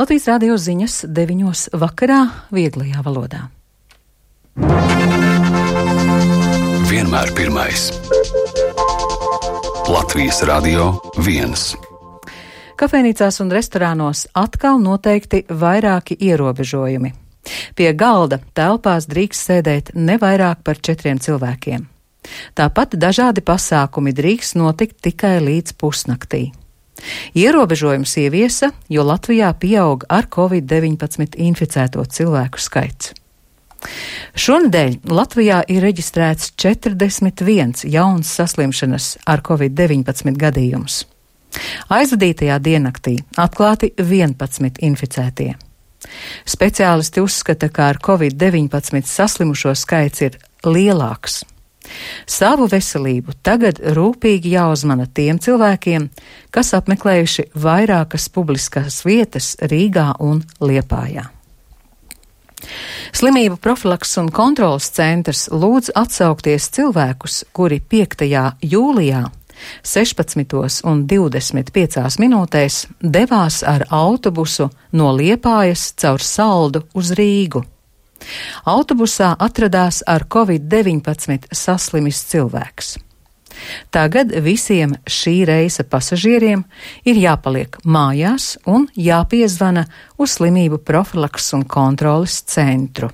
Latvijas radio ziņas 9 vakarā vieglajā valodā. Vienmēr pirmais. Latvijas radio 1. Kafejnīcās un restorānos atkal noteikti vairāki ierobežojumi. Pie galda telpās drīkst sēdēt ne vairāk par 4 cilvēkiem. Tāpat dažādi pasākumi drīkst notikt tikai līdz pusnaktī. Ierobežojums ieviesa, jo Latvijā pieaug ar Covid-19 inficēto cilvēku skaits. Šonedēļ Latvijā ir reģistrēts 41 jauns saslimšanas ar Covid-19 gadījums. Aizvadītajā diennaktī atklāti 11 inficētie. Speciālisti uzskata, ka ar Covid-19 saslimušo skaits ir lielāks. Savu veselību tagad rūpīgi jāuzmana tiem cilvēkiem, kas apmeklējuši vairākas publiskās vietas Rīgā un Liepājā. Slimību profilakses un kontrolas centrs lūdz atsaukties cilvēkus, kuri 5. jūlijā 16:25 minūtēs devās ar autobusu no Liepājas caur Saldu uz Rīgu. Autobusā atradās ar Covid-19 saslimis cilvēks. Tagad visiem šī reisa pasažieriem ir jāpaliek mājās un jāpiezvana uz slimību profilakses un kontroles centru.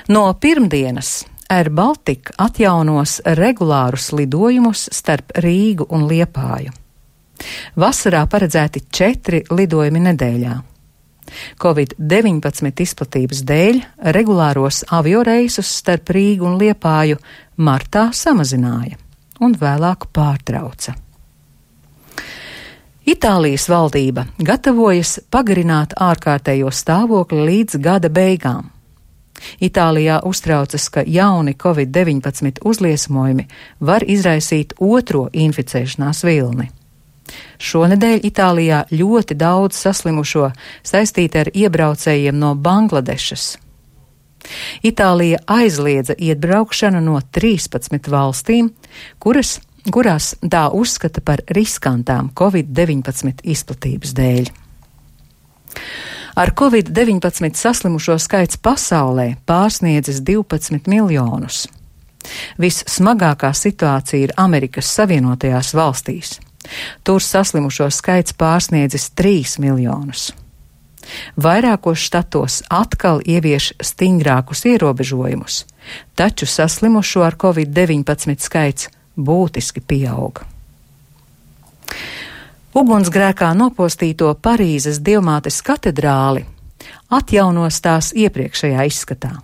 No pirmdienas Air Baltica atjaunos regulārus lidojumus starp Rīgu un Liepāju. Vasarā paredzēti 4 lidojumi nedēļā. Covid-19 izplatības dēļ regulāros avioreisus starp Rīgu un Liepāju martā samazināja un vēlāk pārtrauca. Itālijas valdība gatavojas pagarināt ārkārtējo stāvokli līdz gada beigām. Itālijā uztraucas, ka jauni Covid-19 uzliesmojumi var izraisīt otro inficēšanās vilni. Šonedēļ Itālijā ļoti daudz saslimušo saistīti ar iebraucējiem no Bangladešas. Itālija aizliedza iebraukšanu no 13 valstīm, kurās tā uzskata par riskantām Covid-19 izplatības dēļ. Ar Covid-19 saslimušo skaits pasaulē pārsniedzis 12 miljonus. Vissmagākā situācija ir Amerikas Savienotajās valstīs. Tur saslimušo skaits pārsniedzis 3 miljonus. Vairākos štatos atkal ievieš stingrākus ierobežojumus, taču saslimušo ar Covid-19 skaits būtiski pieauga. Ugunsgrēkā nopostīto Parīzes Dievmātes katedrāli atjaunos tās iepriekšējā izskatā.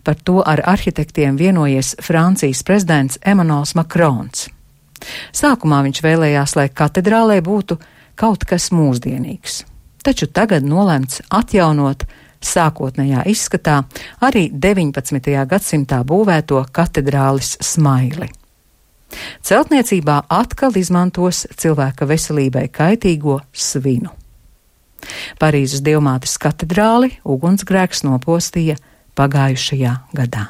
Par to ar arhitektiem vienojies Francijas prezidents Emmanuels Macrons. Sākumā viņš vēlējās, lai katedrālē būtu kaut kas mūsdienīgs, taču tagad nolemts atjaunot sākotnējā izskatā arī 19. gadsimtā būvēto katedrālis smaili. Celtniecībā atkal izmantos cilvēka veselībai kaitīgo svinu. Parīzes Dievmātes katedrāli ugunsgrēks nopostīja pagājušajā gadā.